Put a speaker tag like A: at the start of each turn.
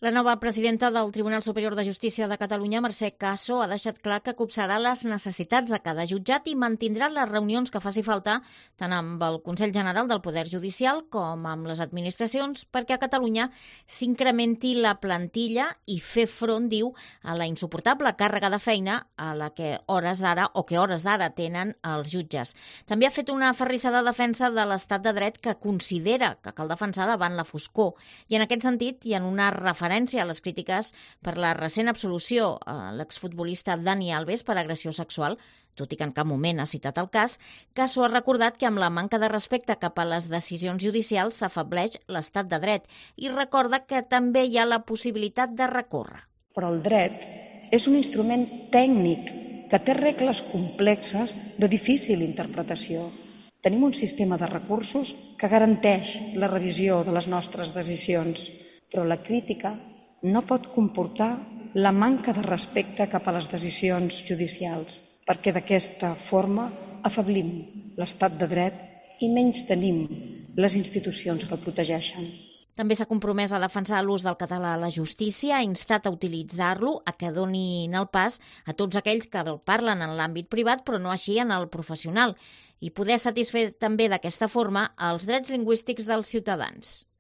A: La nova presidenta del Tribunal Superior de Justícia de Catalunya, Mercè Caso, ha deixat clar que copsarà les necessitats de cada jutjat i mantindrà les reunions que faci falta tant amb el Consell General del Poder Judicial com amb les administracions perquè a Catalunya s'incrementi la plantilla i fer front, diu, a la insuportable càrrega de feina a la que hores d'ara tenen els jutges. També ha fet una aferrissada defensa de l'estat de dret que considera que cal defensar davant la foscor i en aquest sentit i en una referència a les crítiques per la recent absolució a l'exfutbolista Dani Alves per agressió sexual, tot i que en cap moment ha citat el cas, Caso ha recordat que amb la manca de respecte cap a les decisions judicials s'afebleix l'estat de dret i recorda que també hi ha la possibilitat de recórrer.
B: Però el dret és un instrument tècnic que té regles complexes de difícil interpretació. Tenim un sistema de recursos que garanteix la revisió de les nostres decisions, però la crítica no pot comportar la manca de respecte cap a les decisions judicials, perquè d'aquesta forma afeblim l'estat de dret i menystenim les institucions que el protegeixen.
A: També s'ha compromès a defensar l'ús del català a la justícia, ha instat a utilitzar-lo, a que donin el pas a tots aquells que el parlen en l'àmbit privat però no així en el professional, i poder satisfer també d'aquesta forma els drets lingüístics dels ciutadans.